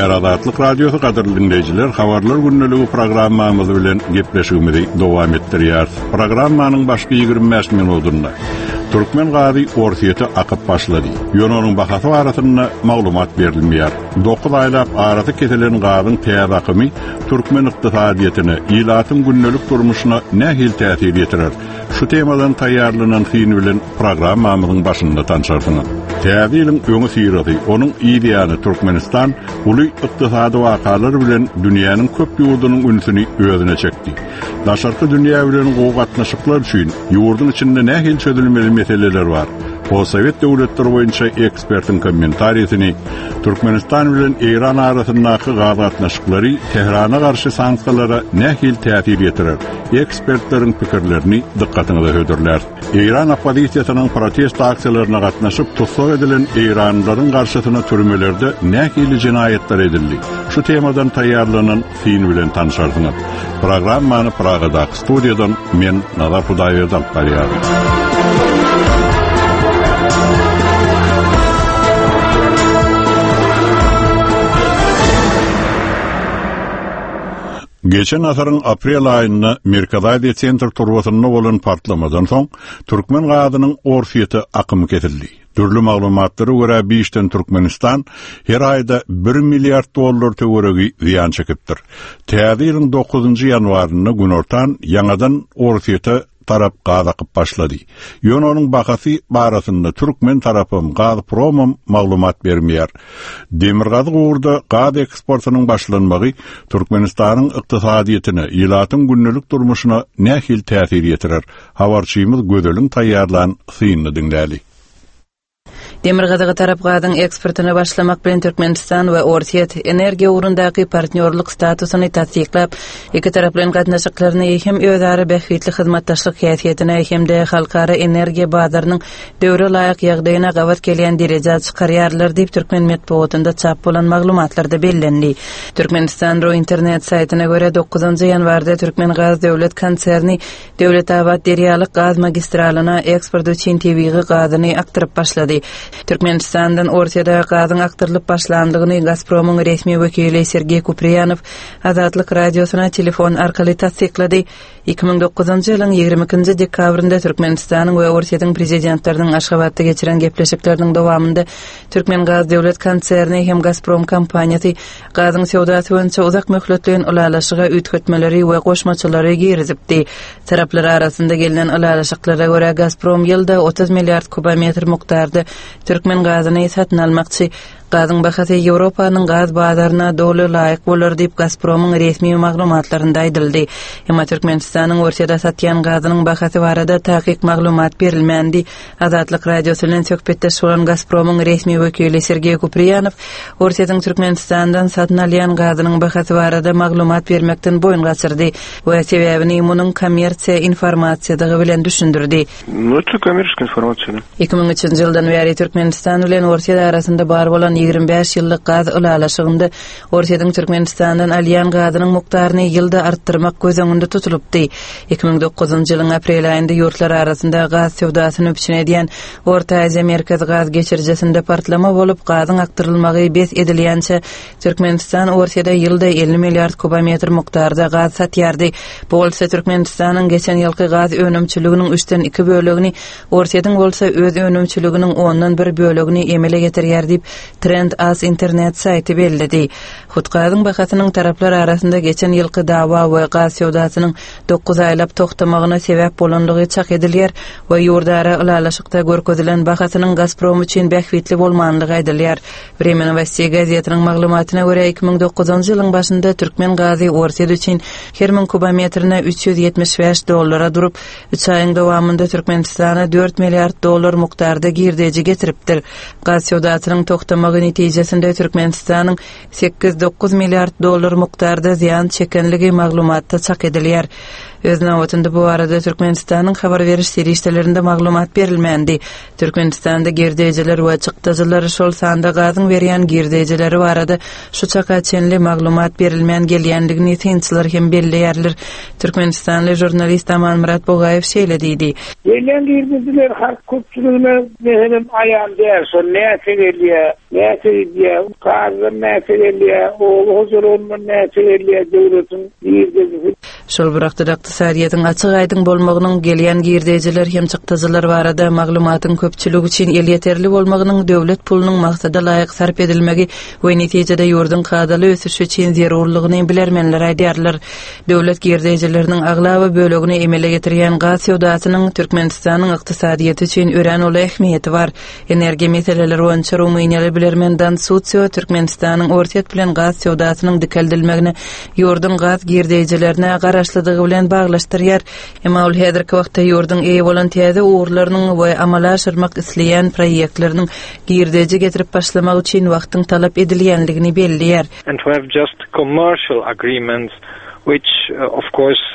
gepleýär Azatlyk Radiosy gadyrly diňleýjiler habarlar gündeligi programmamyz bilen gepleşigimizi dowam etdirýäris. Programmanyň başky 25 minutynda Türkmen gazy Orsýete akyp başlady. Ýöne onuň bahasy barasynda maglumat berilmeýär. 9 aýlap arasy kesilen gazyň täze akymy türkmen ykdysadyýetine, ilatyň gündelik durmuşyna nähili täsir ýetirer? Şu temadan taýýarlanan syn bilen programmamyzyň başynda tanşarsyňyz. Täze ýylyň öňüsyrasy, onuň yz ýany Türkmenistan uly ykdysady wakalar bilen dünýäniň köp ýurdunyň ünsüni özüne çekdi. Daşarky dünýä bilen gowy gatnaşyklar üçin ýurduň içinde nähili çözülmeli meseleler bar? Postsowet döwletleri boýunça ekspertiň kommentarisini, Türkmenistan bilen Eýran arasyndaky gaz gatnaşyklary Tährana garşy sanksiýalara nähili täsir ýetirer? Ekspertleriň pikirlerini dykgatyňyza hödürläris. Eýran oppozisiýasynyň protest aksiýalaryna gatnaşyp, tussag edilen eýranlylaryň garşysyna türmelerde nähili jenaýatlar edildi? Şu temadan taýýarlanan syn bilen tanşarsyňyz. Programmany Pragadaky studiýadan men Nazar Hudaýberdi alyp barýaryn. Geçen asyryň aprel aýynda Merkezi Aziýa Sentr turbasynda bolan partlamadan soň, türkmen gazynyň Orsýete akymy kesildi. Dürli maglumatlara görä, bu işden Türkmenistan her aýda bir milliard dollar töweregi zyýan çekipdir. Täze ýylyň dokuzynjy ýanwarynda günortan ýaňadan Orsýete tarap gaz akyp başlady. Ýöne onuň bahasy barasynda türkmen tarapam, Gazpromam maglumat bermeýär. Demirgazyk ugurda gaz eksportynyň başlanmagy Türkmenistanyň ykdysadyýetine, ilatyň gündelik durmuşyna nähili täsir ýetirer? Habarçymyz Gözeliň taýýarlan synyny diňläli. Demirgazyga tarap gazyň eksportyna başlamak bilen Türkmenistan we Orsýet energiýa ugrundaky partnýorlyk statusyny tassyklap, ikitaraplaýyn gatnaşyklaryny hem özara bähbitli hyzmatdaşlyk häsiýetine hem-de halkara energiýa bazarynyň döwre laýyk ýagdaýyna gabat gelýän derejä çykarýarlar diýip, türkmen metbugatynda çap bolan maglumatlarda bellendi. Türkmenistan. Ru internet saýtyna görä, dokuzynjy ýanwarda Türkmengaz döwlet konserni Döwletabat-Derýalyk gaz magistralyna eksport üçin tebigy gazyny akdyryp başlady. Türkmenistandan Orsýete gazyň akdyrylyp başlandygyny Gazpromyň resmi wekili Sergeý Kupriýanow Azatlyk Radiosyna telefon arkaly tassyklady. 2009-njy ýylyň 22-nji dekabrynda Türkmenistanyň we Orsýetiň prezidentleriniň Aşgabatda geçiren gepleşikleriniň dowamynda Türkmengaz döwlet konserni hem Gazprom kompaniýasy Gazyň söwdasy boýunça uzak möhletleýin ylalaşyga üýtgetmeleri we goşmaçalary girizipdi. Taraplar arasynda gelnen ylalaşyklara görä, Gazprom ýylda 30 milliard kubometr mukdarda türkmen gazyny satyn almakçy. Gazyň bahasy Ýewropanyň gaz bazaryna doly laýyk bolar diýip, Gazpromyň resmi maglumatlarynda aýdyldy. Emma Türkmenistanyň Orsýete satýan gazynyň bahasy barada takyk maglumat berilmändi. Azatlyk Radiosy bilen söhbetdeş bolan Gazpromyň resmi wekili Sergeý Kupriýanow Orsýetiň Türkmenistandan satyn alýan gazynyň bahasy barada maglumat bermekden boýun gaçyrdy we sebäbini munuň kommersiýa informasiýadygy bilen düşündirdi. Nu, это kommerçeskiý informasiýa, da. 2003-nji ýyldan bäri Türkmenistan bilen Orsýet arasynda bar bolan 25 ýyllyk gaz ylalaşygynda Orsýetiň Türkmenistandan alýan gazynyň mukdaryny ýylda artdyrmak göz öňünde tutulypdy. 2009-njy ýylyň aprel aýynda ýurtlar arasynda gaz söwdasyny üpjün edýän Orta Aziýa Merkezi gaz geçirijisinde partlama bolup, gazyň akdyrylmagy bes edilýänçä Türkmenistan Orsýete ýylda 50 milliard kubometr mukdarda gaz satýardy. Bu bolsa Türkmenistanyň geçen ýylky gaz önümçiliginiň üçden iki bölegini, Orsýetiň bolsa öz önümçiliginiň ondan bir bölegini emele getirýär diýip, Trend Az internet saýty belledi. Hut gazyň bahasynyň taraplar arasynda geçen ýylky dawa we gaz söwdasynyň dokuz aýlap togtamagyna sebäp bolandygy çak edilýär we ýurdara ylalaşykda görkezilen bahasynyň Gazprom üçin bähbitli bolmandygy aýdylýar. Vremya nowosteý gazetiniň maglumatyna görä, 2009-njy ýylyň başynda türkmen gazy Orsýet üçin her müň kubometrine 375 dollara durup, üç aýyň dowamynda Türkmenistana dört milliard dollar mukdarda girdeji getiripdir. Gaz söwdasynyň togtamagy netijesinde Türkmenistanyň sekiz-dokuz milliard dollar mukdarda zyýan çekenligi maglumatda çak edilýär. Öz nobatynda bu barada Türkmenistanyň habar beriş serişdelerinde maglumat berilmändi. Türkmenistanda girdejiler we çykdajylar, şol sanda gazyň berýän girdejileri barada şu çaka çenli maglumat berilmän gelýändigini synçylar hem belleýärler. Türkmenistanly žurnalist Amanmyrat Bugaýew şeýle diýdi. Gelýän girdejiler halk köpçüligine meselem aýan däl, şol näçe gelýär, näçe gidýär, gazdan näçe gelýär, oba hojalygyndan näçe gelýär döwletiň girdejisi. Şol bir wagtda-da ykdysadyýetiň açyk-aýdyň bolmagynyň, gelýän girdejiler hem çykdajylar barada maglumatyň köpçülik üçin elýeterli bolmagynyň döwlet pulunyň maksada laýyk sarp edilmegi we netijede ýurduň kadaly ösüşi üçin zerurlygyny bilermenler aýdýarlar. Döwlet girdejileriniň aglaba bölegini emele getirýän gaz söwdasynyň Türkmenistanyň ykdysadyýeti üçin örän uly ähmiýeti bar. Energiýa meseleleri boýunça rumyniýaly bilermen Dan Susio Türkmenistanyň Orsýet bilen gaz söwdasynyň dikeldilmegini ýurduň gaz girdeýjilerine garaşlydygy bilen baglaşdyrýar. Emma ol häzirki wagtda ýurduň eýe bolan täze ugurlarynyň we amala aşyrmak isleýän proýektleriniň girdeji getirip başlamagy üçin wagtyň talap edilýändigini belleýär. And to have just commercial agreements which of course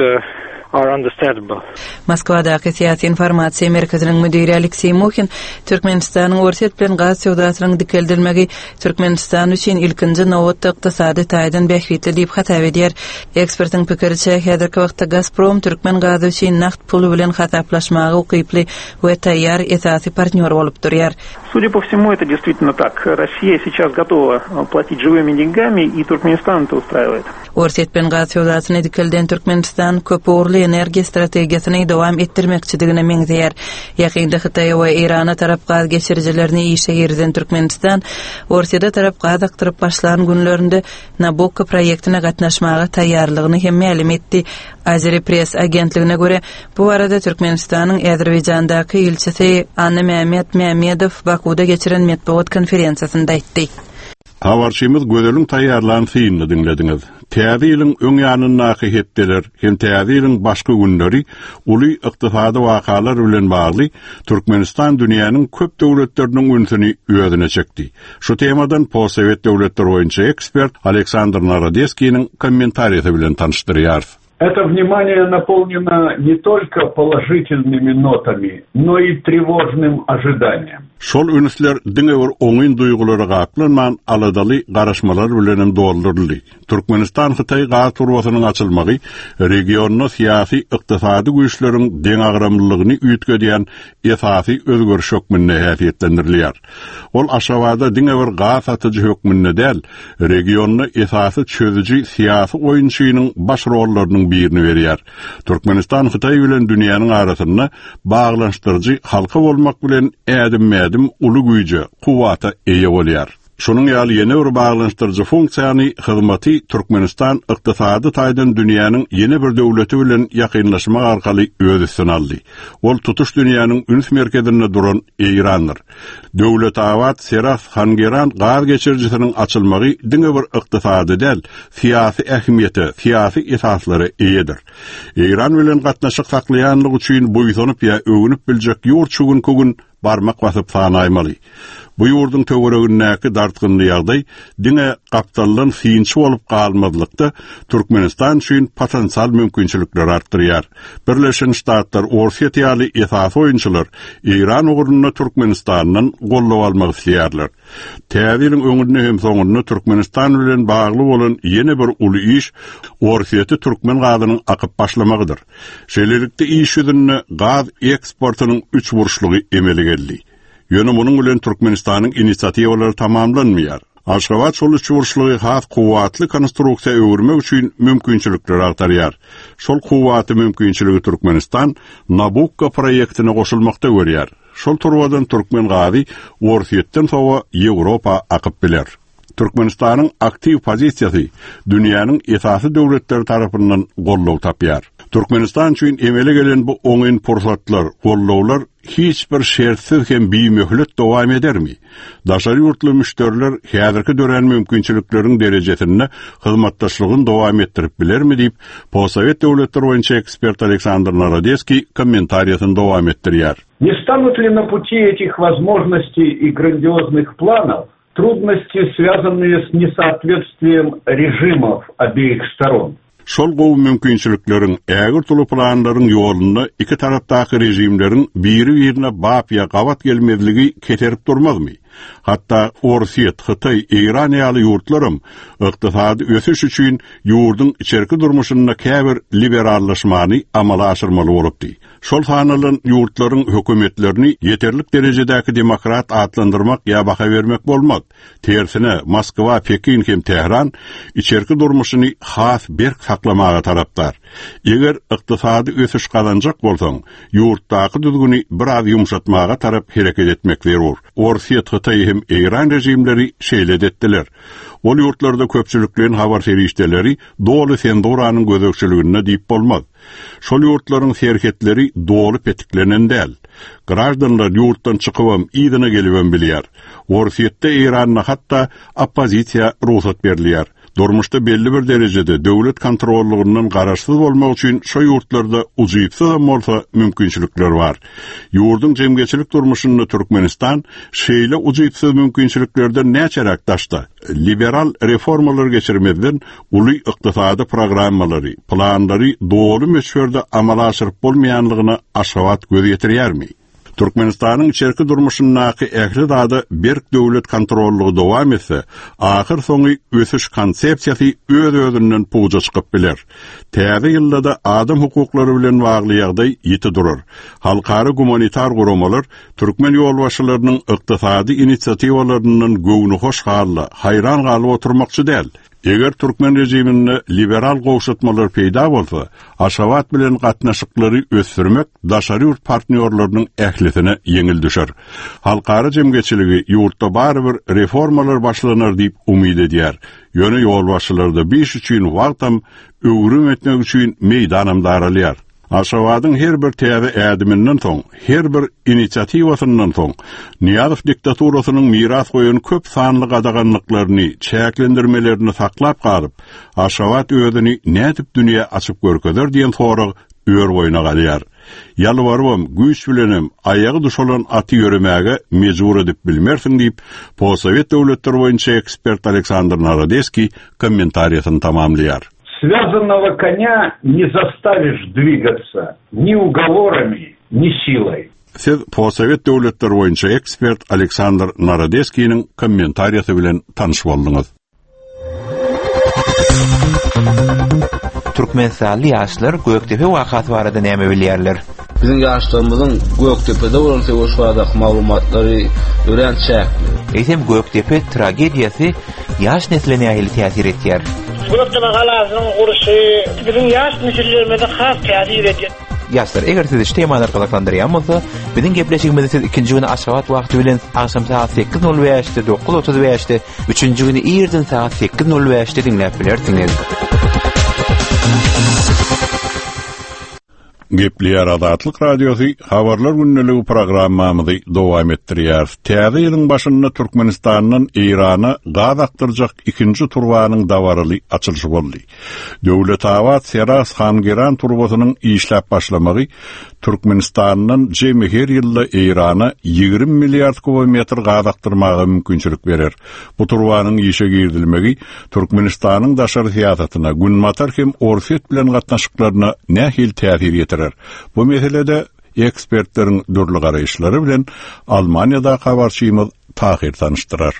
are understandable. Moskwadaky Syýasy informasiýa merkeziniň müdiri Alekseý Muhin Türkmenistanyň Orsýet bilen gaz söwdasynyň dikeldilmegi Türkmenistan üçin ilkinji nobatda ykdysady taýdan bähbitli diýip hasap edýär. Ekspertiň pikiriçe, häzirki wagtda Gazprom türkmen gazy üçin nagt puly bilen hasaplaşmaga ukyply we taýýar esasy partnýor bolup durýar. Судя по всему, это действительно так. Россия сейчас готова платить живыми деньгами, и Туркменистан это устраивает. Orsýet bilen gaz söwdasyny dikelden Türkmenistan köpugurly energiýa strategiýasyny dowam etdirmekçidigine meňzeýär. Ýakynda Hytaýa we Eýrana tarap gaz geçirijilerini işe girizen Türkmenistan Orsýete tarap gaz akdyryp başlan günlerinde Nabukko proýektine gatnaşmaga taýýarlygyny hem mälim etdi. Azeri-Press agentligine görä, bu barada Türkmenistanyň Azerbaýjandaky ilçisi Annamämmet Mämmedow Bakuwda geçiren metbugat konferensiýasynda aýtdy. Habarçymyz Gözeliň taýýarlan synyny diňlediňiz. Täze ýylyň öň ýanyndaky hepdeler hem Täze ýylyň başky günleri uly ykdysady wakalar bilen bagly Türkmenistan dünýäniň köp döwletleriniň ünsüni özüne çekdi. Şu temadan postsowet döwletleri boýunça ekspert Aleksandr Narodeskiniň kommentariýasy bilen tanyşdyrýarys. Это внимание наполнено не только положительными нотами, но и тревожным ожиданием. Şol ünsler diňe bir oňyn duýgulara gaplanman, aladaly garaşmalar bilenem dolduryldy. Türkmenistan-Hytaý gaz turbasynyň açylmagy regionda syýasy, ykdysady güýçleriň deňagramlylygyny üýtgedýän esasy özgeriş hökmünde häsiýetlendirilýär. Ol Aşgabada diňe bir gaz satyjy hökmünde däl, regionda esasy çözüji syýasy oýunçynyň baş rollarynyň birini berýär. Türkmenistan Hytaý bilen dünýäniň arasynda baglanyşdyryjy halka bolmak bilen ädimme-ädim uly güýje, kuwwata eýe bolýar. Şunuň ýaly ýene bir baglanyşdyryjy funksiýany, hyzmaty Türkmenistan ykdysady taýdan dünýäniň ýene bir döwleti bilen ýakynlaşmak arkaly öz üstüne aldy. Ol tutuş dünýäniň üns merkezinde duran Eýrandyr. Döwletabat, Serahs, Hangeran gaz geçirijisiniň açylmagy diňe bir ykdysady däl, syýasy ähmiýete, syýasy esaslara eýedir. Eýran bilen gatnaşyk saklaýanlygy üçin buýsanyp ýa öwünip biljek ýurt şu günki gün barmak basyp sanaýmaly. Bu ýurduň töweregindäki dartgynly ýagdaý diňe gapdaldan synçy bolup galmazlykda Türkmenistan üçin potensial mümkinçilikleri artdyrýar. Birleşen Ştatlar, Orsýet ýaly esasy oýunçylar Eýran ugrunda Türkmenistandan goldaw almak isleýärler. Täze ýylyň öňünde hem soňunda Türkmenistan bilen bagly bolan ýene bir uly iş Orsýete türkmen gazynyň akyp başlamagydyr. Şeýlelikde, iş ýüzünde gaz eksportynyň üçburçlugy emele geldi. Ýöne munuň bilen Türkmenistanyň inisiatiwalary tamamlanmaýar. Aşgabat şol üçburçlugy has kuwwatly konstruksiýa öwürmek üçin mümkinçilikleri agtarýar. Şol kuwwaty mümkinçiligi Türkmenistan Nabukko proýektine goşulmakda görýär. Şol turbadan türkmen gazy Orsýetden sowa Ýewropa akyp biler. Türkmenistanyň aktiw pozisiýasy dünýäniň esasy döwletleri tarapyndan goldaw tapýar. Türkmenistan üçin emele gelen bu oňyn pursatlar, goldawlar hiç bir şertsiz hem bimöhlet dowam edermi? Daşary ýurtly müşderiler häzirki dörän mümkinçilikleriň derejesinde hyzmatdaşlygyny dowam etdirip bilermi diýip, postsowet döwletleri boýunça ekspert Aleksandr Narodeskiý kommentariýasyny dowam etdirýär. Не станут ли на пути этих возможностей и грандиозных планов трудности, связанные с несоответствием режимов обеих сторон? Şol gowy mümkinçilikleriň, ägirt uly planlaryň ýolunda iki tarapdaky režimleriň biri-birine bap ýa gabat gelmezligi keserip durmazmy? Hatda Orsýet, Hytaý, Eýran ýaly ýurtlaram ykdysady ösüş üçin ýurduň içerki durmuşynda käbir liberallaşmany amala aşyrmaly bolupdy. Şol sanalan ýurtlaryň hökümetlerini ýeterlik derejedäki demokrat atlandyrmak ýa baha bermek bolmaz. Tersine, Moskwa, Pekin hem Tähran içerki durmuşyny has berk saklamaga tarapdar. Eger ykdysady ösüş gazanjak bolsaň, ýurtdaky düzgüni biraz ýumşatmaga tarap hereket etmek zerur. Orsýet, Hytaý hem Eýran režimleri şeýle-de etdiler. Ol ýurtlarda köpçülikleýin habar serişdeleri doly senzuranyň gözegçiliginde diýip bolmaz. Şol ýurtlaryň serhetleri doly petiklenen däl. Graždanlar ýurtdan çykybam, yzyna gelibem bilýär. Orsýetde, Eýranda hatda oppozisiýa rugsat berilýär. Durmuşda belli bir derejede döwlet kontrollygyndan garaşsyz bolmak üçin şo ýurtlarda ujypsyzam bolsa mümkinçilikler bar. Ýurduň jemgyýetçilik durmuşynda Türkmenistan şeýle ujypsyz mümkinçiliklerden näçeräk daşda? Liberal reformalar geçirmezden uly ykdysady programmalary, planlary doly möçberde amala aşyryp bolmaýanlygyna Aşgabat göz ýetirýärmi? Türkmenistanyň içerki durmuşyndaky ähli zada berk döwlet kontrollygy dowam etse, ahyrsoňy ösüş konsepsiýasy öz-özünden puja çykyp biler. Täze ýylda-da adam hukuklary bilen bagly ýagdaý ýiti durar. Halkara gumanitar guramalar türkmen ýolbaşçylarynyň ykdysady inisiatiwalaryndan göwnühoş halda, haýran galyp oturmakçy däl. Eger türkmen režiminde liberal gowşatmalar peýda bolsa, Aşgabat bilen gatnaşyklary ösdürmek daşary ýurt partnýorlarynyň ählisine ýeňil düşer. Halkara jemgyýetçiligi ýurtda barybir reformalar başlanar diýip umyt edýär. Ýöne ýolbaşçylarda bu iş üçin wagtam, öwrüm etmek üçin meýdanam daralýar. Aşgabadyň her bir täze ädiminden soň, her bir inisiatiwasyndan soň, Nyýazow diktaturasynyň miras goýan köp sanly gadaganlyklaryny, çäklendirmelerini saklap galyp, Aşgabat özüni nädip dünýä açyp görkezer diýen sorag ör-boýuna galýar. Ýalbarybam, güýç bilenem aýagy duşalan aty ýöremäge mejbur edip bilmersiň diýip, postsowet döwletleri boýunça ekspert Aleksandr Narodeskiý kommentariýasyny tamamlaýar. Связанного коня не заставишь двигаться ни уговорами, ни силой. Siz postsowet döwletleri boýunça ekspert Aleksandr Narodeskiniň kommentariýasy bilen tanyş bolduňyz. Türkmenistanly ýaşlar Gökdepe wakasy barada näme bilýärler? Biziň ýaşlarymyzyň Gökdepede bolan söweş baradaky maglumatlary örän çäkli. Eýsem Gökdepe tragediýasy ýaş nesle nähili täsir etýär? Gökdepe galasynyň gurluşy biziň ýaş nesillerimize has täsir edýär. Ýaşlar, eger sizi şu temalar gyzyklandyrýan bolsa, biziň gepleşigimizi siz ikinji güni Aşgabat wagty bilen agşam sagat sekiz nol bäşde, dokuz otuz bäşde, üçünji güni irden sagat sekiz nol bäşde diňläp bilersiňiz. Gepleýär Azatlyk Radiosy, Habarlar gündeligi programmamyzy dowam etdirýäris. Täze ýylyň başynda Türkmenistandan Eýrana gaz akdyrjak ikinji turbanyň dabaraly açylyşy boldy. Döwletabat-Serahs-Hangeran turbasynyň işläp başlamagy Türkmenistandan jemi her ýylda Eýrana 20 milliard kubometr gaz akdyrmaga mümkinçilik berer. Bu turbanyň işe girizilmegi Türkmenistanyň daşary syýasatyna, Günbatar hem Orsýet bilen gatnaşyklaryna nähili täsir ýetirer? Bu meselede ekspertleriň dürli garaýyşlary bilen Almaniýadaky habarçymyz Tahyr tanyşdyrar.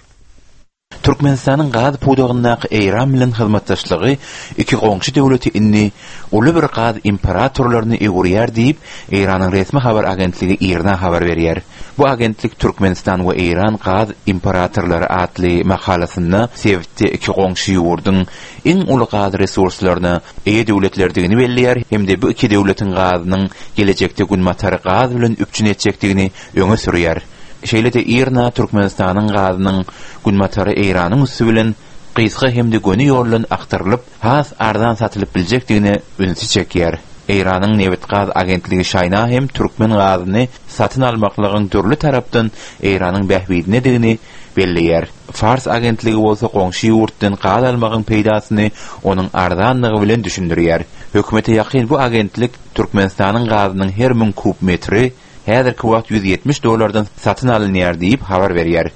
Türkmenistanyň gaz pudagyndaky Eýran bilen hyzmatdaşlygy iki goňşy döwleti indi uly bir gaz imperatorlaryna öwürýär diýip, Eýranyň resmi habar agentligi IRNA habar berýär. Bu agentlik Türkmenistan we Eýran gaz imperatorlary atly makalasynda sebitde iki goňşy ýurduň iň uly gaz resurslaryna eýe döwletlerdigini belleýär hem-de bu iki döwletiň gazynyň gelejekde Günbatary gaz bilen üpjün etjekdigini öňe sürýär. Şeýle-de IRNA Türkmenistanyň gazynyň Günbatara Eýranyň üsti bilen gysga hem-de göni ýoldan akdyrylyp, has arzan satylyp biljekdigine ünsi çekýär. Eýranyň nebit-gaz agentligi Şaýna hem türkmen gazyny satyn almaklygyň dürli tarapdan Eýranyň bähbidinedigini belleýär. Fars agentligi bolsa goňşy ýurtdan gaz almagyň peýdasyny onuň arzanlygy bilen düşündirýär. Hökümete ýakyn bu agentlik Türkmenistanyň gazynyň her müň kub metri häzirki wagt 170 dollardan satyn alynýar diýip habar berýär.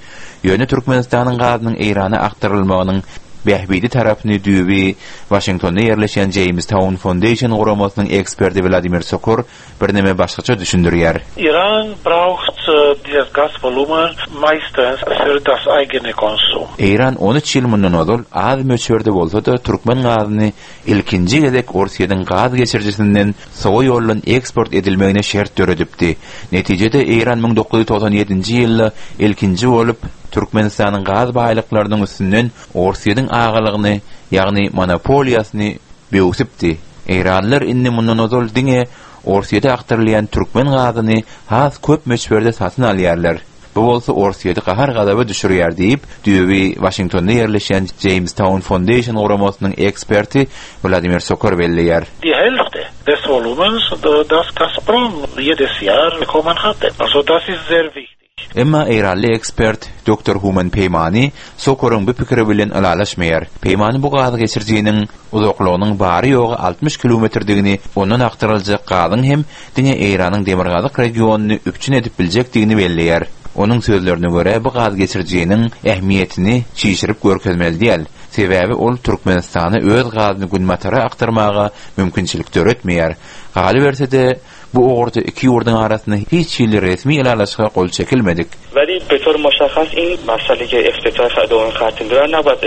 Ýöne Türkmenistanyň gazynyň Eýrana akdyrylmagynyň. bähbitli tarapyny düýbi Waşingtonda ýerleşýän Jamestown Foundation guramasynyň eksperti Wladimir Sokor birneme başgaça düşündirýär. Iran braucht dieses Gasvolumen meistens für das eigene Konsum. Eýran 13 ýyl mundan ozal az möçberde bolsa-da türkmen gazyny ilkinji gezek Orsýetiň gaz geçirijisinden sowa ýoldan eksport edilmegine şert döredipdi. Netijede Eýran 1997-nji ýylda ilkinji bolup Türkmenistanyň gaz baýlyklarynyň üstünden Orsýetiň agalygyny, ýagny monopoliýasyny böwsüpdi. Eýranlylar indi mundan ozal diňe Orsýete akdyrylýan türkmen gazyny has köp möçberde satyn alýarlar. Bu bolsa Orsýeti gahar-gazaba düşürýär diýip, düýbi Waşingtonda ýerleşýän Jamestown Foundation guramasynyň eksperti Wladimir Sokor belleýär. Die Hälfte des Volumens, das Gazprom jedes Jahr bekommen hatte. Also das ist sehr wichtig. Emma eýranly ekspert doktor Human Peýmani Sokoryň bu pikiri bilen ylalaşmaýar. Peýmani bu gaz geçirijiniň uzaklygynyň bary-ýogy 60 kilometrdigini, ondan akdyryljak gazyň hem diňe Eýranyň demirgazyk regionyny üpjün edip biljekdigini belleýär. Onuň sözlerine görä, bu gaz geçirijiniň ähmiýetini çişirip görkezmeli däl. Sebäbi ol Türkmenistana öz gazyny günbatara akdyrmaga mümkinçilik döretmeýär. Galyberse-de, Bu ugurda iki ýurduň arasynda hiç hili resmi ylalaşyga gol çekilmedik. Weli be tor moşahhas in masale ke eftitah dogan hat lüle nabad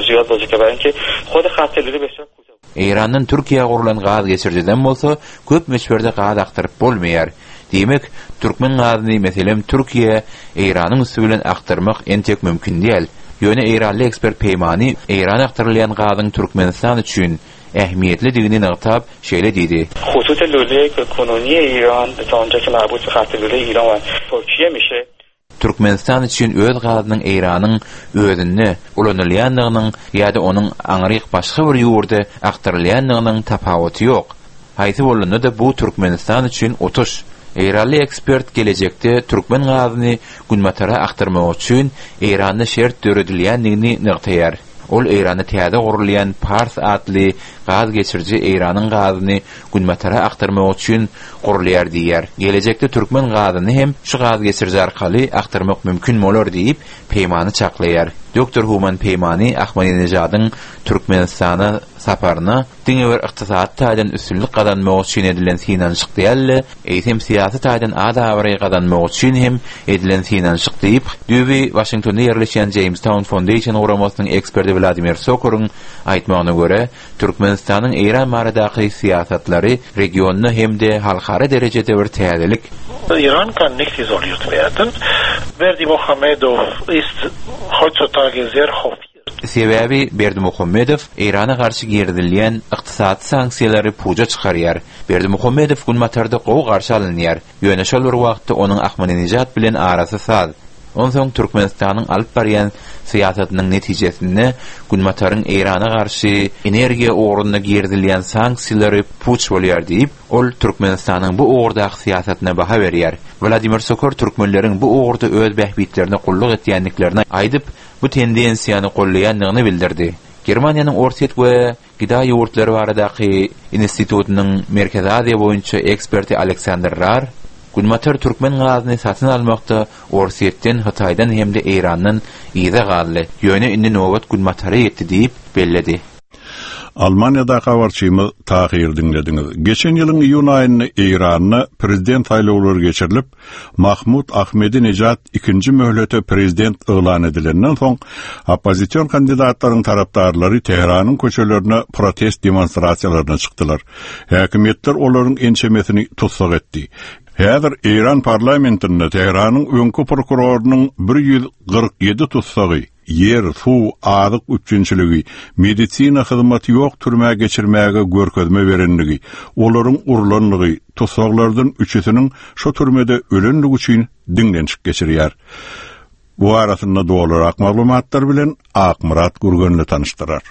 ziýad boze ke barayinke hod hat lüle besýar kutah. Eýrandan Türkiýä gurlan gaz geçirijiden bolsa köp möçberde gaz akdyryp bolmaýar. Diýmek, türkmen gazyny, meselem, Türkiýä Eýranyň üsti bilen akdyrmak entek mümkin däl. Ýöne eýranly ekspert Peýmani Eýrana akdyrylýan gazyň Türkmenistan üçin ähmiýetlidigini nygtap, şeýle diýdi. Hutut lule konuniýe Iran ta onja ke marbut be hat lule Iran we Turkiye mişe. Türkmenistan üçin öz gazynyň Eýranyň özünde ulanylýandygynyň ýa-da onuň aňryk başga bir ýurda akdyrylýandygynyň tapawuty ýok. Haýsy bolanda-da bu Türkmenistan üçin utuş. Eýranly ekspert gelejekde türkmen gazyny günbatara akdyrmak üçin Eýranda şert döredilýändigini nygtaýar. Ol Eýranda täze gurulýan Pars atly gaz geçiriji Eýranyň gazyny günbatara akdyrmak üçin gurulýar diýýär. Gelejekde türkmen gazyny hem şu gaz geçiriji arkaly akdyrmak mümkin bolar diýip, Peýmany çaklaýar. Doktor Human Peýmany Ahmadinejadyň Türkmenistana saparyna diňe bir ykdysady taýdan üstünlik gazanmak üçin edilen synanyşyk däl-de, eýsem syýasy taýdan at-abraý gazanmak üçin hem edilen synanyşyk diýip, düýbi Waşingtonda ýerleşýän Jamestown Foundation guramasynyň eksperti Wladimir Sokoryň aýtmagyna görä, Türkmenistanyň Eýran baradaky syýasatlary regionda hem-de halkara derejede bir täzelik. Iran kann nicht isoliert werden. Berdimuhamedow ist heutzutage sehr hofiert. Sebäbi Berdimuhamedow Eýrana garşy girizilýän ykdysady sanksiýalary puja çykarýar. Berdimuhamedow Günbatarda gowy garşy alynýar. Ýöne şol bir wagtda onuň Ahmadinejad bilen arasy saz. Onsoň Türkmenistanyň alyp barýan syýasatynyň netijesinde Günbataryň Eýrana garşy energiýa ugrunda girizilýän sanksiýalary puç bolýar diýip, ol Türkmenistanyň bu ugurdaky syýasatyna baha berýär. Wladimir Sokor türkmenleriň bu ugurda öz bähbitlerine gulluk etýändiklerini aýdyp, bu tendensiýany goldaýandygyny bildirdi. Germaniýanyň Orsýet we Gda ýurtlary baradaky institutynyň Merkezi Aziýa boýunça eksperti Aleksandr Rar Günbatar türkmen gazyny satyn almakda Orsýetden, Hytaýdan hem-de Eýrandan yza galdy, ýöne indi nobat Günbatara ýetdi diýip belledi. Almaniýadaky habarçymyz Tahyry diňlediňiz. Geçen ýylyň iýun aýynda Eýranda prezident saýlawlary geçirilip, Mahmud Ahmedinejad ikinji möhlete prezident yglan edilenden soň, oppozision kandidatlaryň tarapdarlary Tähranyň köçelerine protest demonstrasiýalaryna çykdylar. Häkimiýetler olaryň ençemesini tussag etdi. Häzir Eýran parlamentinde Tähranyň öňki prokurorynyň 147 tussagy, ýer, suw, azyk üpjünçiligi, medisina hyzmaty ýok türmä geçirmäge görkezme berenligi, olaryň urlanlygy, tussaglardan üçüsiniň şo türmede ölenligi üçin diňlenişik geçirýär. Bu barasynda dolurak maglumatlar bilen Akmyrat Gürgenli tanyşdyrar.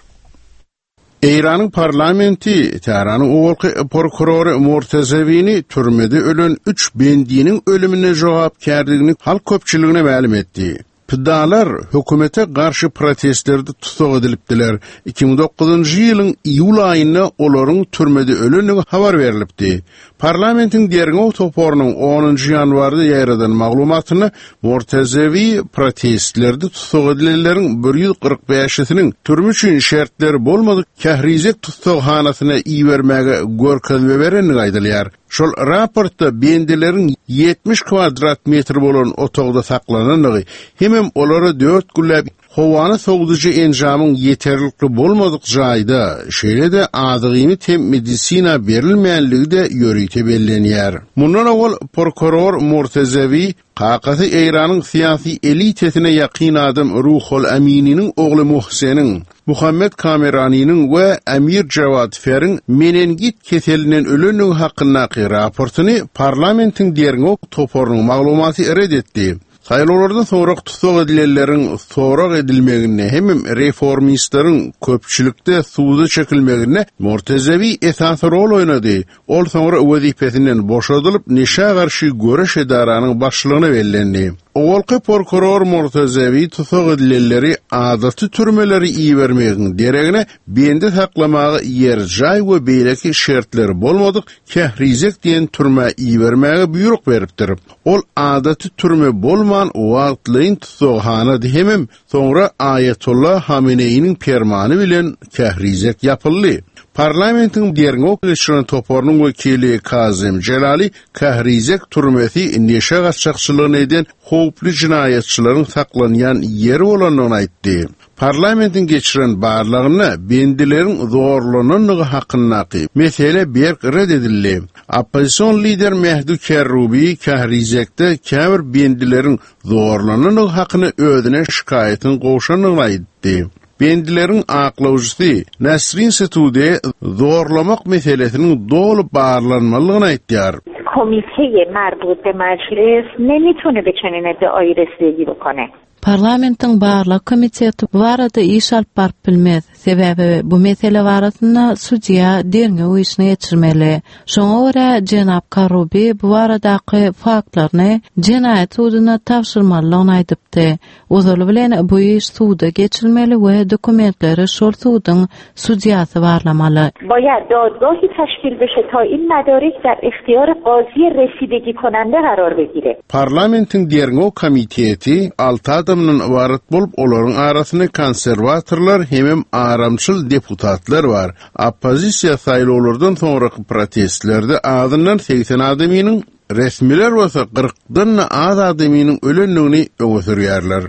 Eýranyň parlamenti Tähranyň owalky prokurory Murtazewini türmede ölen üç bendiniň ölümine jogapkärligini halk köpçüligine mälim etdi. Pidalar hökümete garşy protestlerde tussag edilipdiler. 2009-njy ýylyň iýul aýynda olaryň türmede ölendigi habar berlipdi. Parlamentiň derňew toparynyň onunjy ýanwarda ýaýradan maglumatynda Mortazewi protestlerde tussag edilenleriň 145-isiniň türme üçin şertleri bolmadyk Kährizek tussaghanasyna ibermäge görkezme berendigi aýdylýar. Şol raportda bendileriň 70 kwadrat metr bolan otagda saklanandygy hemem olara dört günläp howany sowudyjy enjamyň ýeterlikli bolmadyk jaýda, şeýle-de azyk-iýmit hem medisina berilmänligi-de ýörite bellenýär. Mundan owal prokuror Murtezewi Kakasy Eýranyň syýasy elitesine ýakyn adam Ruhol Amininiň ogly Muhseniň, Muhammet Kameranynyň we Amir Jawad Feriň menengit keselinden ölendigi hakyndaky raportyny parlamentiň derňew toparynyň maglumaty ret etdi. Saýlawlardan soňrak tussag edilenleriň sorag edilmeginde hemem reformistleriň köpçülikde suda çekilmeginde Mortezewi esasy rol oýnady. Ol soňra wezipesinden boşadylyp, neşä garşy göreş edaranyň başlygyna bellendi. Owalky prokuror Murtazewi tussag edilenleri adaty türmelere ibermegiň deregine bendi saklamaga ýer-jaý we beýleki şertleri bolmadyk Kährizek diýen türmä ibermäge buýruk beripdir. Ol adaty türme bolman, wagtlaýyn tussaghanady hemem Soňra Aýatolla Hameneýiniň permany bilen Kährizek ýapyldy. Parlamentiň derňew geçiren toparynyň wekili Kazem Jelali Kährizek türmesi neşe gaçakçylygyny eden howply jenaýatçylaryň saklanýan ýeri bolandygyny aýtdy. Parlamentiň geçiren barlagynda bendileriň zorlanandygy hakyndaky mesele berk ret edildi. Oppozision lider Mehdi Kerrubi Kährizekde käbir bendileriň zorlanandygy hakynda özüne şikaýatyň gowşandygyny aýtdy. Bendileriň aklawjysy Nasrin Setude zorlamak meselesiniň doly barlanmalydygyny aýtýar. Komiteye marbut be majlis nemitune be çenin eddiayi residegi bokone. Parlamentiň barlag komiteti bu barada iş alyp baryp bilmez, sebäbi bu mesele barasynda sudýa derňew işini geçirmeli. Şoňa görä, jenap Karrubi bu baradaky faktlaryny jenaýat suduna tabşyrmalydygyny aýdypdy. Ozaly bilen bu iş suda geçilmeli we dokumentleri şol suduň sudýasy barlamaly. باید دادگاهی تشکیل بشه تا این مدارک در اختیار قاضی رسیدگی کننده قرار بگیره. Parlamentiň derňew komiteti alty adamdan ybarat bolup, olaryň arasynda konserwatorlar hemem aramçyl deputatlar bar. Oppozisiýa saýlawlardan soňraky protestlerde azyndan 80 adamynyň, resmiler bolsa kyrkdan-da az adamynyň ölendigini öňe sürýärler.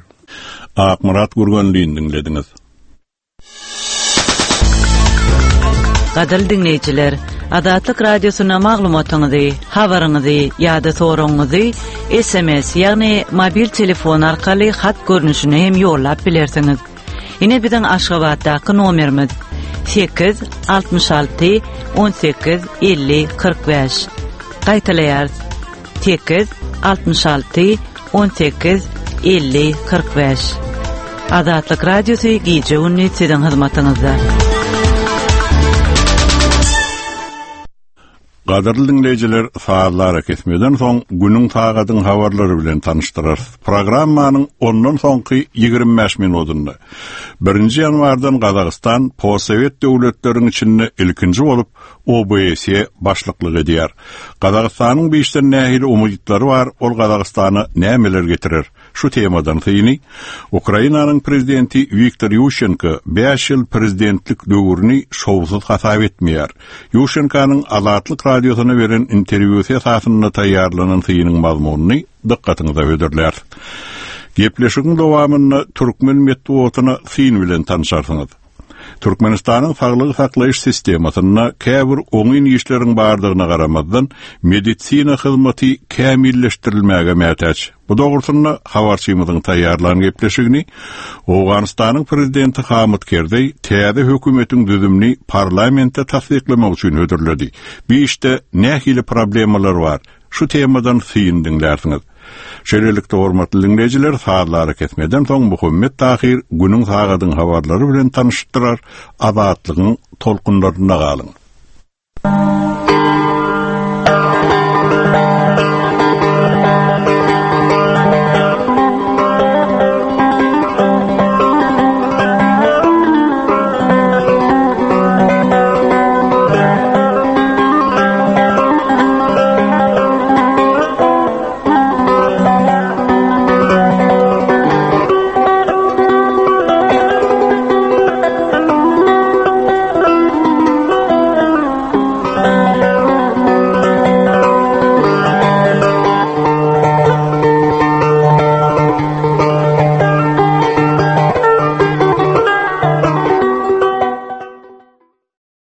Akmyrat Gürgenlini diňlediňiz. Gadyrly diňleýjiler, Azatlyk Radiosyna maglumatyňyzy, habaryňyzy ýa-da soragyňyzy SMS, ýagny mobil telefon arkaly hat görnüşinde hem ýollap bilersiňiz. Ine biziň Aşgabatdaky nomerimiz 8 66 18 50 45. Gaýtalaýarys. 8 66 18 50 45. Azatlyk Radiosy gije-gündiz siziň hyzmatyňyzda. Gadyrly diňleýjiler, sazly arakesmeden soň günüň sagadyň habarlary bilen tanyşdyrarys. Programmanyň ondan soňky 25 minudynda Birinji ýanwardan Gazagystan postsowet döwletleriň içinde ilkinji bolup OBSE başlyklyk edýär. Gazagystanyň bu işden nähili umytlary bar, ol Gazagystana nämeler getirer? Şu temadan syny Ukrainanyň prezidenti Wiktor Ýuşenko bäş ýyl prezidentlik döwrüni şowsuz hasap etmeýär. Ýuşenkonyň Azatlyk Radiosyna beren interwýusy esasynda taýýarlanan synyň mazmunyny dykgatyňyza hödürläris. Gepleşigiň dowamynda türkmen metbugatyna syn bilen tanşarsyňyz. Türkmenistanyň saglygy saklaýyş sistemasynda käbir oňyn işleriň bardygyna garamazdan, medisina hyzmaty kämilleşdirilmäge mätäç. Bu dogrusynda habarçymyzyň taýýarlan gepleşigini Owganystanyň prezidenti Hamyt Kerzeý täze hökümetiň düzümini parlamentde tassyklamak üçin hödürledi. Bu işde nähili problemalar bar? Şu temadan syn diňlärsiňiz. Şeýlelikde, hormatly diňleýjiler, sazly arakesmeden soň Muhammet Tahyr günüň sagadyň habarlary bilen tanyşdyrar, Azatlygyň tolkunlarynda galyň.